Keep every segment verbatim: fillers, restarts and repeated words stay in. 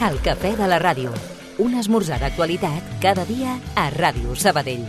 El cafè de la ràdio. Un esmorzar d'actualitat cada dia a Ràdio Sabadell.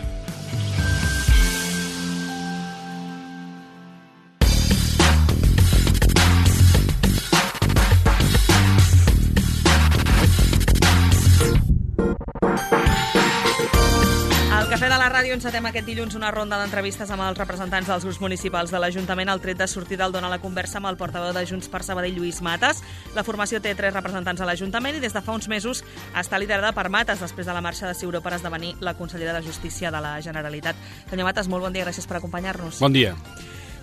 Al Cafè de la Ràdio encetem aquest dilluns una ronda d'entrevistes amb els representants dels grups municipals de l'Ajuntament al tret de sortir del Dona la Conversa amb el portaveu de Junts per Sabadell, Lluís Matas. La formació té tres representants a l'Ajuntament i des de fa uns mesos està liderada per Matas després de la marxa de Ciuró per esdevenir la consellera de Justícia de la Generalitat. Senyor Matas, molt bon dia, gràcies per acompanyar-nos. Bon dia.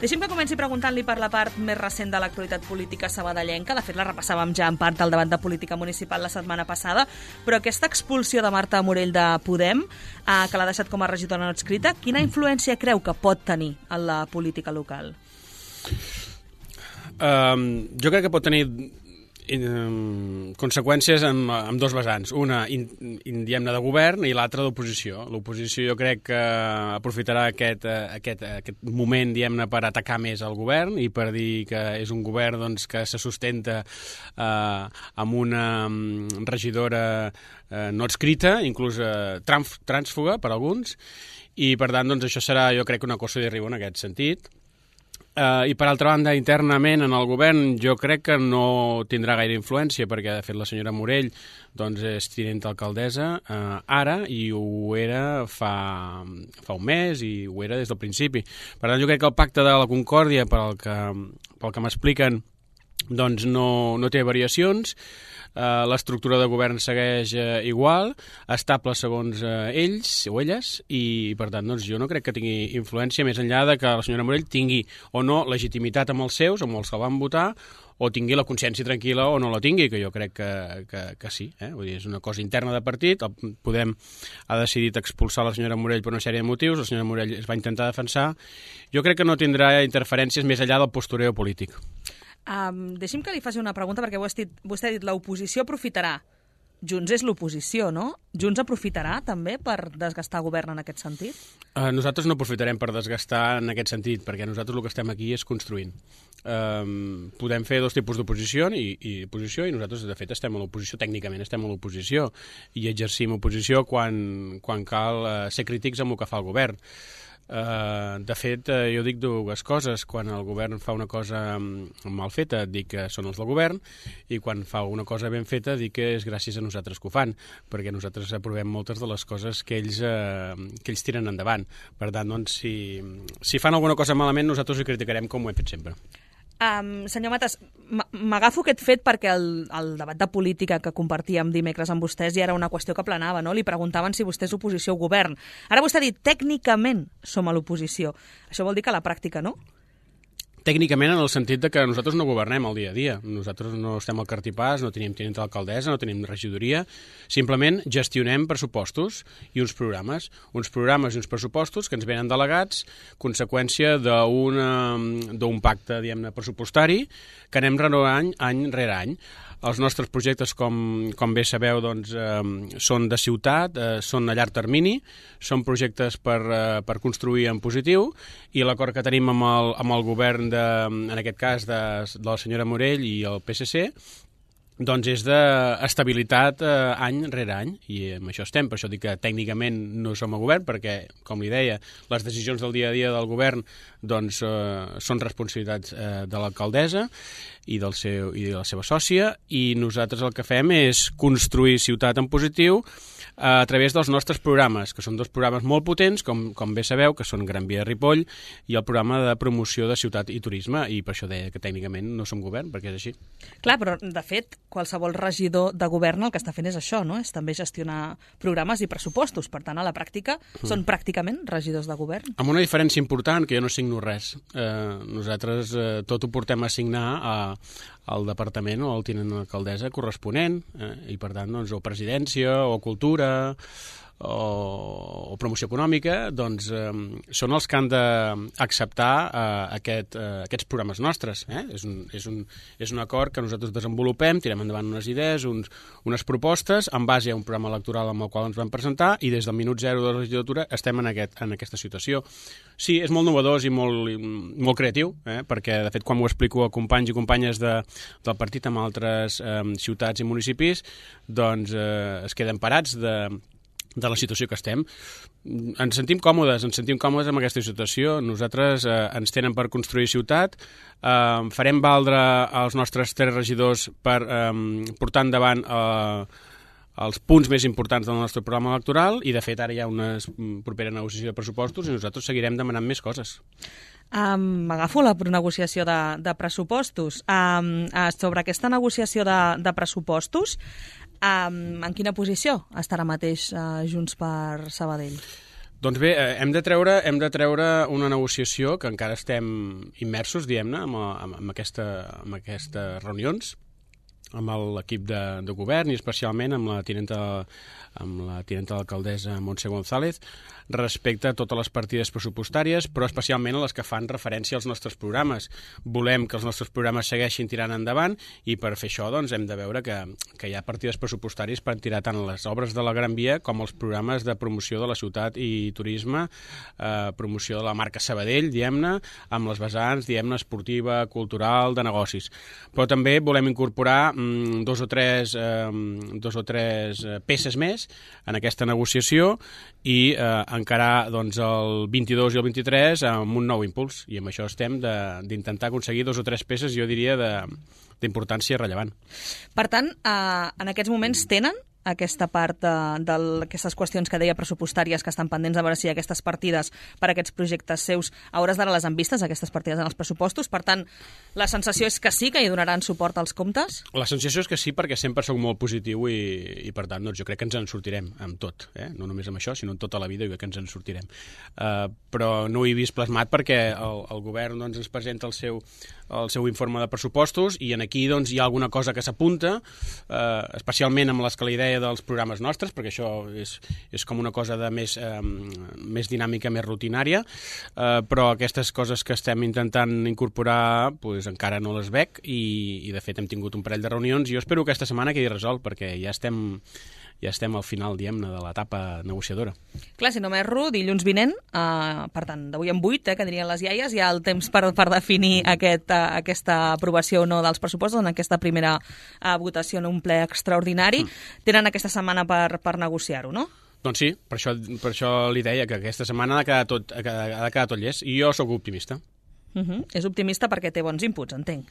Deixi'm que comenci preguntant-li per la part més recent de l'actualitat política sabadellenca. De fet, la repassàvem ja en part al debat de política municipal la setmana passada, però aquesta expulsió de Marta Morell de Podem, eh, que l'ha deixat com a regidora no adscrita, quina influència creu que pot tenir en la política local? Um, jo crec que pot tenir um, conseqüències en, en dos vessants. Una, in, in, diguem-ne, de govern i l'altra d'oposició. L'oposició jo crec que aprofitarà aquest, aquest, aquest moment, diguem-ne, per atacar més el govern i per dir que és un govern doncs, que se sustenta uh, amb una um, regidora uh, no adscrita, inclús uh, trànsfuga per alguns, i per tant doncs, això serà, jo crec, una cosa de riu en aquest sentit. Uh, I per altra banda, internament en el govern jo crec que no tindrà gaire influència perquè de fet la senyora Morell doncs, és tinent alcaldessa uh, ara i ho era fa, fa un mes i ho era des del principi. Per tant, jo crec que el pacte de la Concòrdia, pel que, pel que m'expliquen, doncs no, no té variacions. Uh, l'estructura de govern segueix uh, igual, estable segons uh, ells o elles, i per tant doncs, jo no crec que tingui influència més enllà de que la senyora Morell tingui o no legitimitat amb els seus, amb els que van votar, o tingui la consciència tranquil·la o no la tingui, que jo crec que, que, que sí. Eh? Vull dir, és una cosa interna de partit, el Podem ha decidit expulsar la senyora Morell per una sèrie de motius, la senyora Morell es va intentar defensar. Jo crec que no tindrà interferències més enllà del postureo polític. Um, deixi'm que li faci una pregunta, perquè vostè, vostè ha dit l'oposició aprofitarà. Junts és l'oposició, no? Junts aprofitarà també per desgastar govern en aquest sentit? Uh, nosaltres no aprofitarem per desgastar en aquest sentit, perquè nosaltres el que estem aquí és construint. Um, podem fer dos tipus d'oposició i, i oposició, i nosaltres de fet estem a l'oposició, tècnicament estem a l'oposició, i exercim oposició quan, quan cal uh, ser crítics amb el que fa el govern. Uh, de fet, uh, jo dic dues coses. Quan el govern fa una cosa mal feta, dic que són els del govern, i quan fa una cosa ben feta, dic que és gràcies a nosaltres que ho fan, perquè nosaltres aprovem moltes de les coses que ells, uh, que ells tiren endavant. Per tant, doncs, si, si fan alguna cosa malament, nosaltres ho criticarem com ho hem fet sempre. Um, senyor Matas, m'agafo aquest fet perquè el, el debat de política que compartíem dimecres amb vostès ja era una qüestió que planava, no? Li preguntaven si vostè és oposició o govern. Ara vostè ha dit, tècnicament som a l'oposició. Això vol dir que a la pràctica no? Tècnicament en el sentit de que nosaltres no governem el dia a dia. Nosaltres no estem al cartipàs, no tenim tinent d'alcaldessa, no tenim regidoria. Simplement gestionem pressupostos i uns programes. Uns programes i uns pressupostos que ens venen delegats, conseqüència d'un pacte, diguem-ne, pressupostari que anem renovant any rere any. Els nostres projectes, com, com bé sabeu, doncs, eh, són de ciutat, eh, són a llarg termini, són projectes per, eh, per construir en positiu, i l'acord que tenim amb el, amb el govern, de, en aquest cas, de, de la senyora Morell i el P S C, doncs és d'estabilitat eh, any rere any, i amb això estem. Per això dic que tècnicament no som a govern, perquè, com li deia, les decisions del dia a dia del govern doncs, eh, són responsabilitats eh, de l'alcaldessa i, del seu, i de la seva sòcia, i nosaltres el que fem és construir ciutat en positiu a través dels nostres programes, que són dos programes molt potents, com, com bé sabeu, que són Gran Via de Ripoll i el programa de promoció de ciutat i turisme, i per això deia que tècnicament no som govern, perquè és així. Clar, però de fet, qualsevol regidor de govern el que està fent és això, no? És també gestionar programes i pressupostos. Per tant, a la pràctica, mm. són pràcticament regidors de govern. Amb una diferència important, que jo no signo res. Eh, nosaltres eh, tot ho portem a signar a, al departament o al tinent d'alcaldessa corresponent, eh, i per tant, doncs, o presidència, o cultura, o, o promoció econòmica, doncs eh, són els que han d'acceptar eh, aquest, eh, aquests programes nostres. Eh? És, un, és, un, és un acord que nosaltres desenvolupem, tirem endavant unes idees, uns, unes propostes, en base a un programa electoral amb el qual ens vam presentar, i des del minut zero de la legislatura estem en, aquest, en aquesta situació. Sí, és molt innovador i molt, molt creatiu, eh? Perquè, de fet, quan ho explico a companys i companyes de, del partit amb altres eh, ciutats i municipis, doncs eh, es queden parats de de la situació que estem. Ens sentim còmodes, ens sentim còmodes amb aquesta situació. Nosaltres eh, ens tenen per construir ciutat, eh, farem valdre els nostres tres regidors per eh, portar endavant eh, els punts més importants del nostre programa electoral, i de fet ara hi ha una propera negociació de pressupostos i nosaltres seguirem demanant més coses. Um, M'agafo la negociació de, de pressupostos. Um, uh, sobre aquesta negociació de, de pressupostos, um, en quina posició estarà mateix uh, Junts per Sabadell? Doncs bé, eh, hem de treure hem de treure una negociació que encara estem immersos, diguem-ne, amb, amb, amb, aquesta, amb aquestes reunions, amb l'equip de, de govern i especialment amb la tinenta amb la tinenta d'alcaldessa Montse González, respecte a totes les partides pressupostàries, però especialment a les que fan referència als nostres programes. Volem que els nostres programes segueixin tirant endavant, i per fer això doncs, hem de veure que, que hi ha partides pressupostàries per tirar tant les obres de la Gran Via com els programes de promoció de la ciutat i turisme, eh, promoció de la marca Sabadell, diguem-ne, amb les vessants, diguem-ne, esportiva, cultural, de negocis. Però també volem incorporar mm, dos o tres, eh, dos o tres peces més en aquesta negociació i eh, encarar doncs, el vint-i-dos i el vint-i-tres amb un nou impuls, i amb això estem d'intentar aconseguir dos o tres peces, jo diria, d'importància rellevant. Per tant, eh, en aquests moments tenen aquesta part d'aquestes qüestions que deia pressupostàries que estan pendents, a veure si aquestes partides per a aquests projectes seus hauràs d'ara les han vistes, aquestes partides en els pressupostos. Per tant, la sensació és que sí, que hi donaran suport als comptes? La sensació és que sí, perquè sempre soc molt positiu i, i per tant, doncs, jo crec que ens en sortirem amb tot, eh? No només amb això, sinó en tota la vida, jo crec que ens en sortirem. Uh, però no ho he vist plasmat perquè el, el govern doncs, ens presenta el seu, el seu informe de pressupostos, i en aquí doncs, hi ha alguna cosa que s'apunta, uh, especialment amb les que la idea dels programes nostres, perquè això és, és com una cosa de més, eh, més dinàmica, més rutinària, eh, però aquestes coses que estem intentant incorporar pues, encara no les veig, i, i de fet hem tingut un parell de reunions, i jo espero que aquesta setmana quedi resolt, perquè ja estem ja estem al final, diguem-ne, de l'etapa negociadora. Clar, si no m'erro, dilluns vinent, eh, per tant, d'avui en vuit, eh, que dirien les iaies, hi ha el temps per, per definir aquest, eh, aquesta aprovació o no dels pressupostos en aquesta primera eh, votació en un ple extraordinari. Mm. Tenen aquesta setmana per, per negociar-ho, no? Doncs sí, per això, per això li deia que aquesta setmana ha de quedar tot, ha de quedar tot llest, i jo sóc optimista. Uh-huh. És optimista perquè té bons inputs, entenc.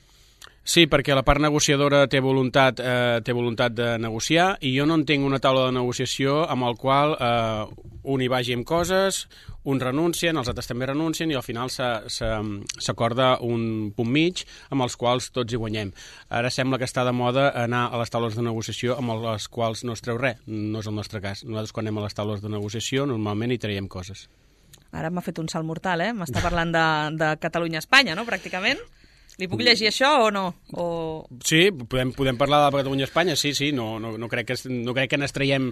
Sí, perquè la part negociadora té voluntat, eh, té voluntat de negociar, i jo no entenc una taula de negociació amb el qual eh, un hi vagi amb coses, uns renuncien, els altres també renuncien, i al final s'acorda un punt mig amb els quals tots hi guanyem. Ara sembla que està de moda anar a les taules de negociació amb les quals no es treu res. No és el nostre cas. Nosaltres, quan anem a les taules de negociació, normalment hi traiem coses. Ara m'ha fet un salt mortal, eh? M'està parlant de, de Catalunya-Espanya, no?, pràcticament. Li puc llegir això o no? O... Sí, podem, podem parlar de Catalunya-Espanya, sí, sí, no, no, no crec que, no crec que n'estiguem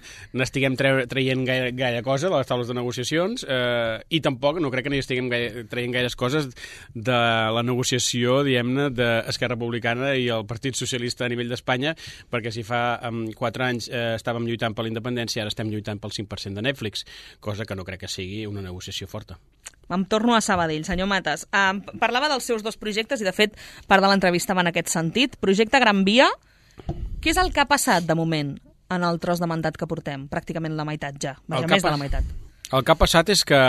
traient gaire, gaire cosa de les taules de negociacions, eh, i tampoc no crec que n'estiguem traient gaires coses de la negociació, diguem-ne, d'Esquerra Republicana i el Partit Socialista a nivell d'Espanya, perquè si fa um, quatre anys eh, estàvem lluitant per la independència, ara estem lluitant pel cinc per cent de Netflix, cosa que no crec que sigui una negociació forta. Em torno a Sabadell, senyor Matas. Uh, parlava dels seus dos projectes i, de fet, part de l'entrevista va en aquest sentit. Projecte Gran Via, què és el que ha passat, de moment, en el tros de mandat que portem? Pràcticament la meitat ja, vaja, més de la meitat. El que ha passat és que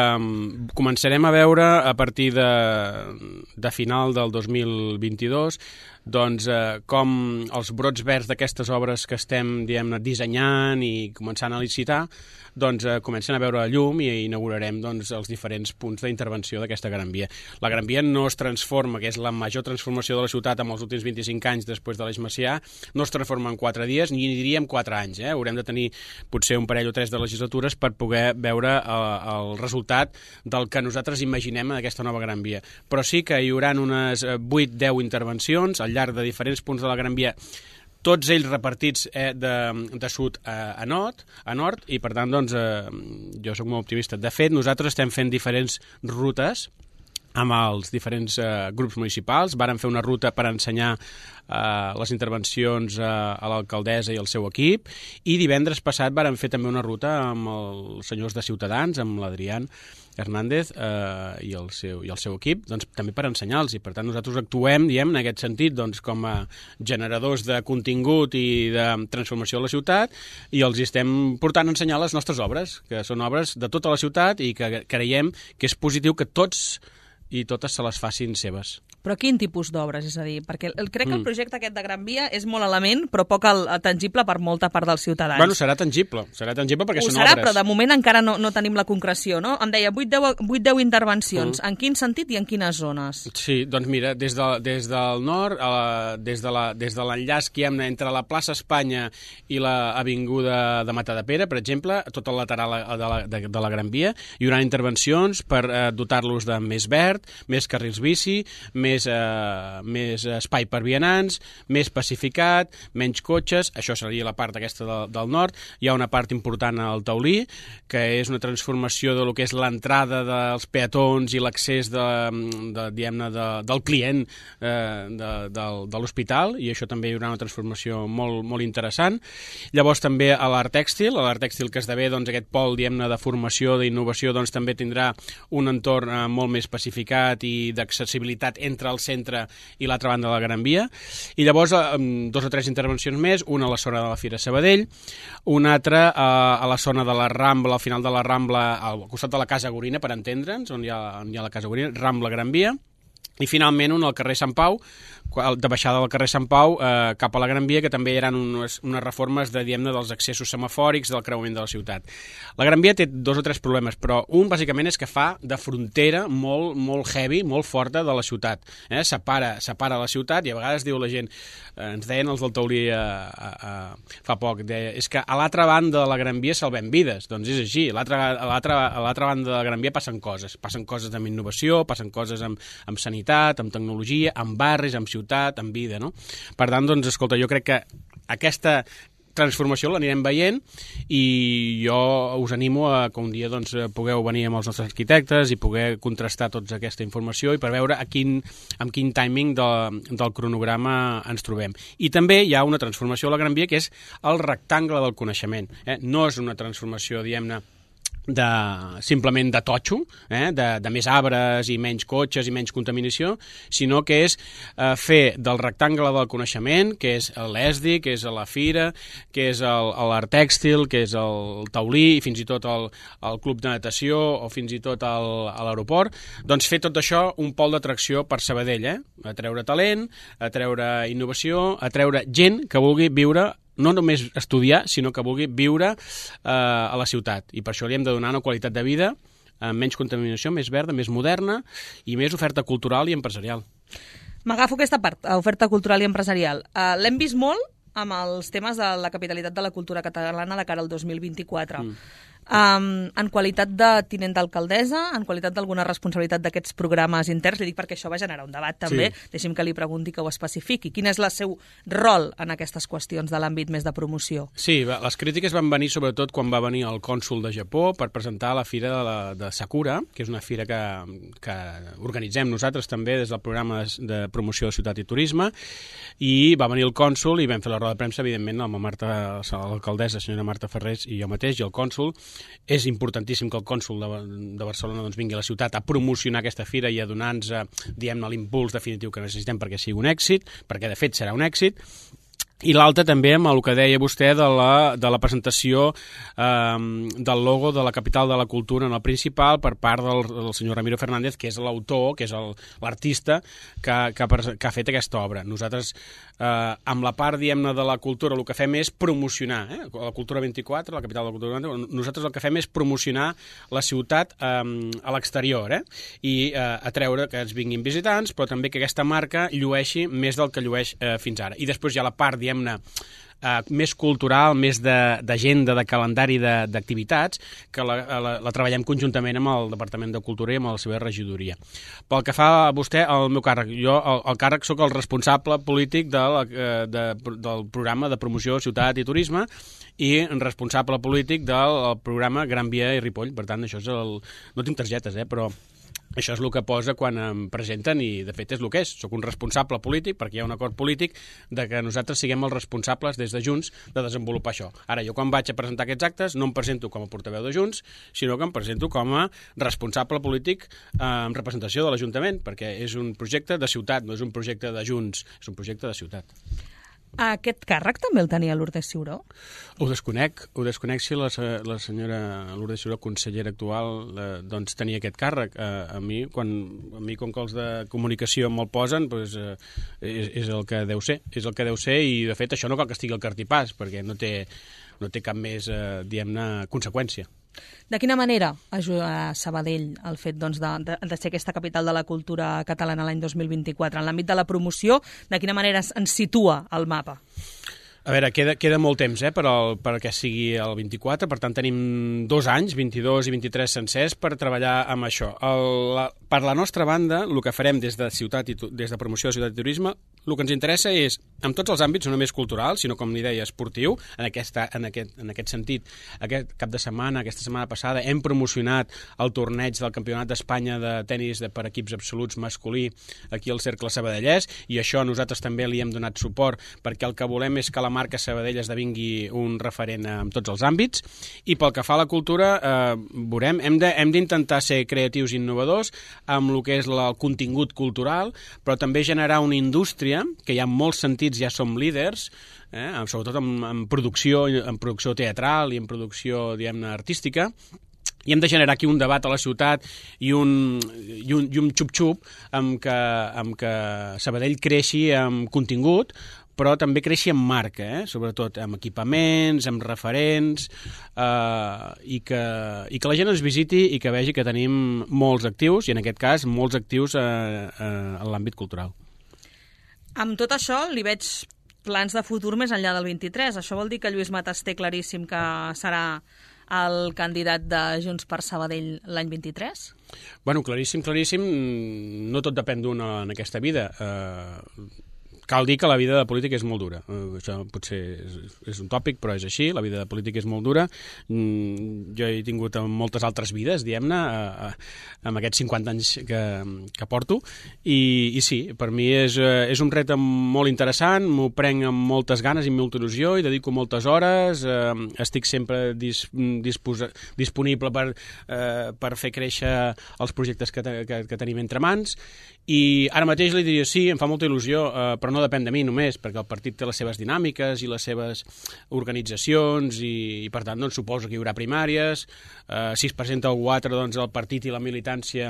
començarem a veure a partir de, de final del dos mil vint-i-dos doncs, eh, com els brots verds d'aquestes obres que estem, diguem-ne, dissenyant i començant a licitar, doncs eh, comencen a veure la llum i inaugurarem doncs, els diferents punts d'intervenció d'aquesta Gran Via. La Gran Via no es transforma, que és la major transformació de la ciutat en els últims vint-i-cinc anys després de l'Eix Macià, no es transforma en quatre dies, ni diríem quatre anys. Eh? Haurem de tenir potser un parell o tres de legislatures per poder veure el, el resultat del que nosaltres imaginem en aquesta nova Gran Via. Però sí que hi haurà unes vuit deu intervencions al llarg de diferents punts de la Gran Via, tots ells repartits eh, de, de sud a, a nord, a nord, i per tant, doncs, eh, jo sóc molt optimista. De fet, nosaltres estem fent diferents rutes amb els diferents eh, grups municipals. Vàrem fer una ruta per ensenyar eh, les intervencions eh, a l'alcaldessa i al seu equip, i divendres passat vàrem fer també una ruta amb els senyors de Ciutadans, amb l'Adrián Hernández eh, i, el seu, i el seu equip, doncs, també per ensenyar-los. I per tant nosaltres actuem, diem, en aquest sentit, doncs, com a generadors de contingut i de transformació de la ciutat, i els estem portant a ensenyar les nostres obres, que són obres de tota la ciutat i que creiem que és positiu que tots i totes se les facin seves. Però quin tipus d'obres? És a dir, perquè el, crec que el projecte aquest de Gran Via és molt element, però poc el, tangible per molta part dels ciutadans. Bueno, serà tangible, serà tangible perquè Ho són serà, obres. Però de moment encara no, no tenim la concreció, no? Em deia vuit deu intervencions. Mm. En quin sentit i en quines zones? Sí, doncs mira, des, de, des del nord, a la, des de la, des de l'enllaç que hi ha entre la plaça Espanya i l'avinguda de Matadepera, per exemple, tot el lateral de la, de, de la Gran Via, hi haurà intervencions per eh, dotar-los de més verd, més carrils bici, més, eh, més espai per vianants, més pacificat, menys cotxes. Això seria la part aquesta de, del nord. Hi ha una part important al Taulí, que és una transformació de lo que és l'entrada dels peatons i l'accés de, de, diguem-ne, de, del client eh, de, de, de l'hospital, i això també hi haurà una transformació molt, molt interessant. Llavors també a l'art tèxtil, a l'art tèxtil que esdevé, doncs, aquest pol, diguem-ne, de formació, d'innovació, doncs també tindrà un entorn eh, molt més pacificat i d'accessibilitat entre el centre i l'altra banda de la Gran Via. I llavors dos o tres intervencions més, una a la zona de la Fira Sabadell, una altra a la zona de la Rambla, al final de la Rambla, al costat de la Casa Gorina, per entendre'ns, on hi ha, on hi ha la Casa Gorina, Rambla Gran Via, i finalment un al carrer Sant Pau, de baixada del carrer Sant Pau eh, cap a la Gran Via, que també hi ha unes, unes reformes de, diguem-ne, dels accessos semafòrics del creuament de la ciutat. La Gran Via té dos o tres problemes, però un bàsicament és que fa de frontera molt, molt heavy, molt forta de la ciutat. Eh? Separa, separa la ciutat, i a vegades diu la gent, eh, ens deien els del Taulí eh, eh, eh, fa poc, deia, és que a l'altra banda de la Gran Via salvem vides. Doncs és així, a l'altra banda de la Gran Via passen coses, passen coses amb innovació, passen coses amb, amb sanitat, amb tecnologia, amb barris, amb ciutat, en vida, no? Per tant, doncs, escolta, jo crec que aquesta transformació l'anirem veient, i jo us animo a que un dia, doncs, pugueu venir amb els nostres arquitectes i poder contrastar tota aquesta informació i per veure a quin, amb quin timing de, del cronograma ens trobem. I també hi ha una transformació a la Gran Via que és el rectangle del coneixement. Eh? No és una transformació, diguem-ne, de, simplement de totxo, eh? de, de més arbres i menys cotxes i menys contaminació, sinó que és eh, fer del rectangle del coneixement, que és l'E S D I, que és la Fira, que és l'Art Tèxtil, que és el Taulí, i fins i tot el, el Club de Natació, o fins i tot el, a l'aeroport, doncs fer tot això un pol d'atracció per Sabadell, eh? A treure talent, a treure innovació, a treure gent que vulgui viure, no només estudiar, sinó que vulgui viure eh, a la ciutat. I per això li hem de donar una qualitat de vida amb menys contaminació, més verda, més moderna i més oferta cultural i empresarial. M'agafo aquesta part, oferta cultural i empresarial. Uh, L'hem vist molt amb els temes de la capitalitat de la cultura catalana de cara al dos mil vint-i-quatre. Mm. Um, en qualitat de tinent d'alcaldessa, en qualitat d'alguna responsabilitat d'aquests programes interns, li dic perquè això va generar un debat també, sí. Deixi'm que li pregunti, que ho especifiqui. Quin és el seu rol en aquestes qüestions de l'àmbit més de promoció? Sí, les crítiques van venir sobretot quan va venir el cònsol de Japó per presentar la fira de, la, de Sakura, que és una fira que, que organitzem nosaltres també des del programa de, de promoció de ciutat i turisme, i va venir el cònsol i vam fer la roda de premsa, evidentment, amb la Marta, l'alcaldessa, senyora Marta Ferrés, i jo mateix, i el cònsol. És importantíssim que el cònsol de, de Barcelona doncs, vingui a la ciutat a promocionar aquesta fira i a donar-nos, diguem-ne, l'impuls definitiu que necessitem perquè sigui un èxit, perquè de fet serà un èxit. I l'altre també amb el que deia vostè de la, de la presentació eh, del logo de la capital de la cultura en el principal per part del, del senyor Ramiro Fernández, que és l'autor, que és l'artista que, que, que ha fet aquesta obra. Nosaltres, eh, amb la part, diguem-ne, de la cultura, el que fem és promocionar, eh? La Cultura vint-i-quatre, la capital de la cultura vint-i-quatre, nosaltres el que fem és promocionar la ciutat eh, a l'exterior, eh? I eh, atreure que ens vinguin visitants, però també que aquesta marca llueixi més del que llueix eh, fins ara. I després hi ha la part, diguem-ne, eh, més cultural, més d'agenda, de, de calendari d'activitats, que la, la, la treballem conjuntament amb el Departament de Cultura i amb la seva regidoria. Pel que fa a vostè, el meu càrrec, jo el, el càrrec sóc el responsable polític de la, de, del programa de promoció Ciutat i Turisme i responsable polític del programa Gran Via i Ripoll. Per tant, això és el... No tinc targetes, eh, però això és el que posa quan em presenten i, de fet, és el que és. Soc un responsable polític, perquè hi ha un acord polític de que nosaltres siguem els responsables des de Junts de desenvolupar això. Ara, jo quan vaig a presentar aquests actes no em presento com a portaveu de Junts, sinó que em presento com a responsable polític eh, en representació de l'Ajuntament, perquè és un projecte de ciutat, no és un projecte de Junts, és un projecte de ciutat. Aquest càrrec també el tenia Lourdes Ciuró? Ho desconec, ho desconec si la, la senyora Lourdes Ciuró, consellera actual, eh, doncs tenia aquest càrrec. Eh, a, mi, quan, a mi, com que els de comunicació me'l posen, doncs, eh, és, és el que deu ser, és el que deu ser i, de fet, això no cal que estigui al cartipàs, perquè no té, no té cap més, eh, diguem-ne, conseqüència. De quina manera ajuda a Sabadell el fet doncs, de, de, de ser aquesta capital de la cultura catalana l'any dos mil vint-i-quatre? En l'àmbit de la promoció, de quina manera ens situa al mapa? A veure, queda, queda molt temps eh, per al, perquè sigui el vint-i-quatre, per tant tenim dos anys, vint-i-dos i vint-i-tres sencers, per treballar amb això. El, la, per la nostra banda, el que farem des de, ciutat i, des de promoció de Ciutat i Turisme, el que ens interessa és, en tots els àmbits, no només cultural, sinó, com li deia, esportiu, en, aquesta, en, aquest, en aquest sentit, aquest cap de setmana, aquesta setmana passada, hem promocionat el torneig del Campionat d'Espanya de tenis de, per equips absoluts masculí aquí al Cercle Sabadellès, i això nosaltres també li hem donat suport, perquè el que volem és que la marca Sabadell esdevingui un referent en tots els àmbits. I pel que fa a la cultura, eh, veurem, hem de, hem d'intentar ser creatius i innovadors amb el que és la, el contingut cultural, però també generar una indústria que hi ha molts sentits, ja som líders, eh, sobretot en, en, producció, en producció teatral i en producció, diguem-ne, artística, i hem de generar aquí un debat a la ciutat i un, i un, i un xup-xup amb que, amb que Sabadell creixi amb contingut, però també creixi en marca, eh? Sobretot amb equipaments, amb referents, eh, i, que, i que la gent ens visiti i que vegi que tenim molts actius, i en aquest cas molts actius eh, eh, en l'àmbit cultural. Amb tot això li veig plans de futur més enllà del vint-i-tres. Això vol dir que Lluís Matas té claríssim que serà el candidat de Junts per Sabadell l'any vint-i-tres? Bueno, claríssim, claríssim. No tot depèn d'una en aquesta vida. Eh, Cal dir que la vida de política és molt dura. Uh, això potser és, és un tòpic, però és així. La vida de política és molt dura. Mm, jo he tingut moltes altres vides, diguem-ne, uh, uh, amb aquests cinquanta anys que, que porto. I, I sí, per mi és, uh, és un repte molt interessant, m'ho prenc amb moltes ganes i molta il·lusió, i dedico moltes hores, uh, estic sempre dis, disposa, disponible per, uh, per fer créixer els projectes que, te, que, que tenim entre mans. I ara mateix li diria sí, em fa molta il·lusió, eh, però no depèn de mi només, perquè el partit té les seves dinàmiques i les seves organitzacions i, i per tant, doncs, suposo que hi haurà primàries. Eh, si es presenta algú altre, doncs el partit i la militància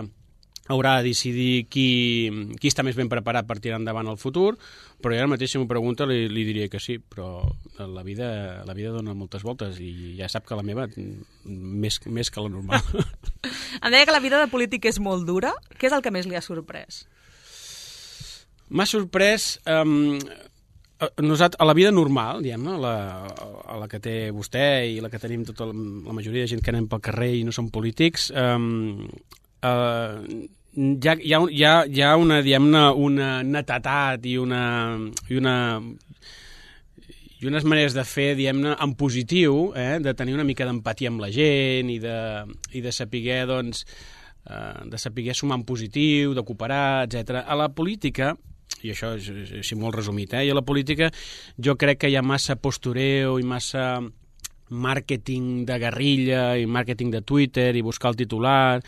haurà de decidir qui, qui està més ben preparat per tirar endavant el futur, però ara mateix, si m'ho pregunta, li, li diria que sí, però la vida, la vida dona moltes voltes i ja sap que la meva més, més que la normal. Em deia que la vida de polític és molt dura. Què és el que més li ha sorprès? M'ha sorprès... Um, nosaltres, a la vida normal, diguem-ne, la, a la que té vostè i la que tenim tota la, la majoria de gent que anem pel carrer i no som polítics, um, uh, hi ha, hi ha, hi ha, hi ha una, diguem-ne, una netetat i una... I una i unes maneres de fer, diguem-ne, en positiu, eh, de tenir una mica d'empatia amb la gent i de, i de saber, doncs, eh, de saber sumar en positiu, de cooperar, etcètera. A la política, i això és, és, és molt resumit, eh, i a la política jo crec que hi ha massa postureo i massa màrqueting de guerrilla i màrqueting de Twitter i buscar el titular.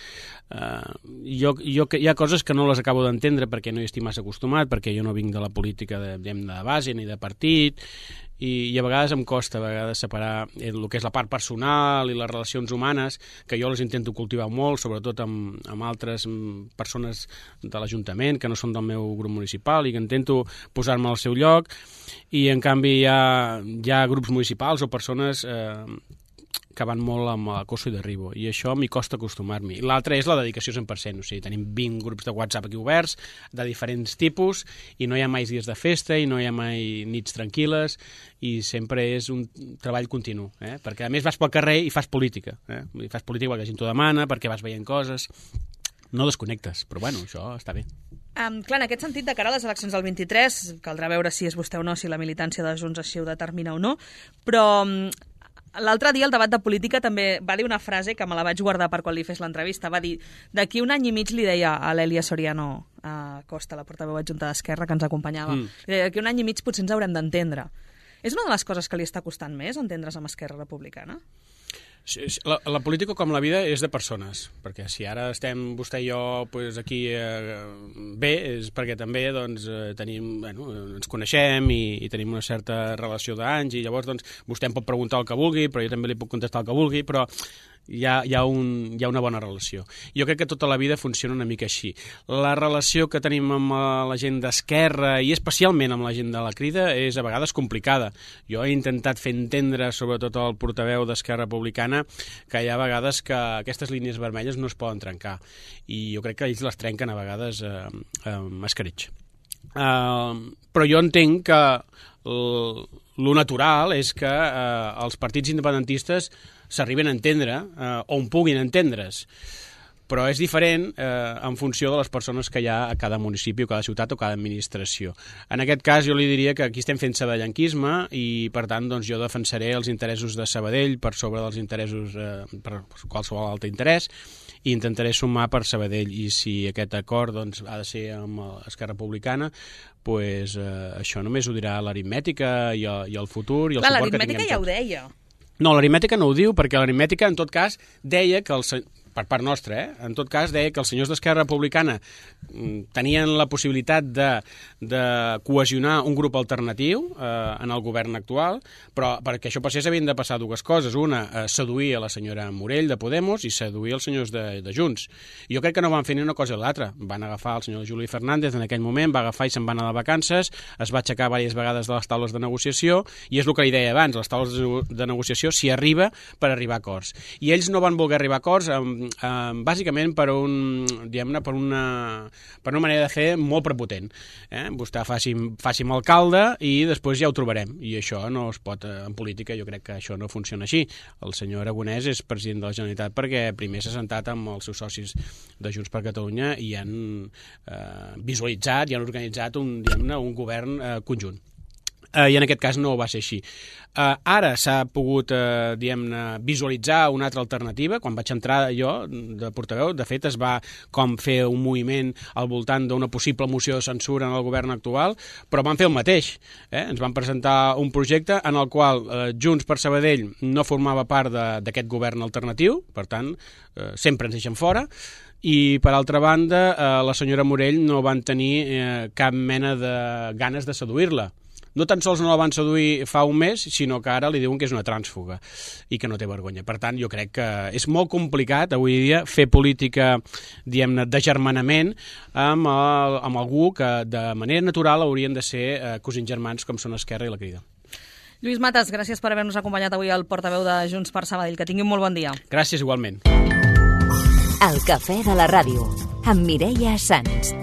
Uh, jo, jo, hi ha coses que no les acabo d'entendre perquè no hi estic massa acostumat, perquè jo no vinc de la política de, de base ni de partit, i, i a vegades em costa a vegades separar el que és la part personal i les relacions humanes, que jo les intento cultivar molt, sobretot amb, amb altres persones de l'Ajuntament que no són del meu grup municipal i que intento posar-me al seu lloc, i en canvi hi ha, hi ha grups municipals o persones eh, que van molt amb acoso i derribo, i això m'hi costa acostumar-m'hi. L'altre és la dedicació cent per cent, o sigui, tenim vint grups de WhatsApp aquí oberts, de diferents tipus, i no hi ha mai dies de festa, i no hi ha mai nits tranquil·les, i sempre és un treball continu, eh? Perquè a més vas pel carrer i fas política, eh? I fas política perquè la gent t'ho demana, perquè vas veient coses, no desconnectes, però bueno, això està bé. Um, clar, en aquest sentit, de cara a les eleccions del vint-i-tres, caldrà veure si és vostè o no, si la militància de Junts així ho determina o no, però um, l'altre dia, el debat de política, també va dir una frase que me la vaig guardar per quan li fes l'entrevista. Va dir, d'aquí un any i mig li deia a l'Èlia Soriano a Costa, la portaveu adjunta d'Esquerra, que ens acompanyava, mm. li deia, d'aquí un any i mig potser ens haurem d'entendre. És una de les coses que li està costant més, entendre's amb Esquerra Republicana? La, la política, com la vida, és de persones, perquè si ara estem vostè i jo pues, aquí eh, bé, és perquè també doncs, eh, tenim, bueno, ens coneixem i, i tenim una certa relació d'anys, i llavors doncs, vostè em pot preguntar el que vulgui, però jo també li puc contestar el que vulgui, però hi ha, hi ha, un, hi ha una bona relació. Jo crec que tota la vida funciona una mica així. La relació que tenim amb la gent d'Esquerra, i especialment amb la gent de la Crida, és a vegades complicada. Jo he intentat fer entendre, sobretot al portaveu d'Esquerra Republicana, que hi ha vegades que aquestes línies vermelles no es poden trencar, i jo crec que ells les trenquen a vegades eh, amb escreix. Uh, però jo entenc que el, lo natural és que eh, els partits independentistes s'arriben a entendre, eh, on puguin entendre's, però és diferent eh, en funció de les persones que hi ha a cada municipi, o cada ciutat, o cada administració. En aquest cas jo li diria que aquí estem fent sabadellanquisme i, per tant, doncs, jo defensaré els interessos de Sabadell per sobre dels interessos, eh, per qualsevol altre interès, i intentaré sumar per Sabadell, i si aquest acord doncs, ha de ser amb Esquerra Republicana, pues, eh, això només ho dirà l'aritmètica i, i el futur i el Clar, suport que tinguem l'aritmètica ja ho deia. No, l'aritmètica no ho diu, perquè l'aritmètica, en tot cas, deia que el, per part nostra, eh? en tot cas, deia que els senyors d'Esquerra Republicana tenien la possibilitat de, de cohesionar un grup alternatiu eh, en el govern actual, però perquè això passés havien de passar dues coses. Una, eh, seduir a la senyora Morell de Podemos i seduir els senyors de, de Junts. I jo crec que no van fer ni una cosa ni l'altra. Van agafar el senyor Juli Fernández en aquell moment, va agafar i se'n va anar de vacances, es va aixecar diverses vegades de les taules de negociació, i és el que li deia abans, les taules de negociació s'hi arriba per arribar a acords. I ells no van voler arribar a acords amb Uh, bàsicament per un, diguem-ne, per una, per una manera de fer molt prepotent. Eh? Vostè faci, faci amb alcalde i després ja ho trobarem. I això no es pot, en política jo crec que això no funciona així. El senyor Aragonès és president de la Generalitat perquè primer s'ha sentat amb els seus socis de Junts per Catalunya i han eh, visualitzat i han organitzat un, diguem-ne, un govern eh, conjunt. Uh, i en aquest cas no va ser així. Uh, ara s'ha pogut uh, diguem-ne, visualitzar una altra alternativa. Quan vaig entrar jo de portaveu, de fet es va com fer un moviment al voltant d'una possible moció de censura en el govern actual, però van fer el mateix. Eh? Ens van presentar un projecte en el qual uh, Junts per Sabadell no formava part d'aquest govern alternatiu, per tant, uh, sempre ens deixen fora, i per altra banda uh, la senyora Morell no van tenir uh, cap mena de ganes de seduir-la. No tan sols no la van seduir fa un mes, sinó que ara li diuen que és una trànsfuga i que no té vergonya. Per tant, jo crec que és molt complicat avui dia fer política, diguem-ne, d'agermanament amb, el, amb algú que de manera natural haurien de ser eh, cosins germans com són Esquerra i la Crida. Lluís Matas, gràcies per haver-nos acompanyat avui al portaveu de Junts per Sabadell. Que tingui un molt bon dia. Gràcies, igualment. El cafè de la ràdio, amb Mireia Sans.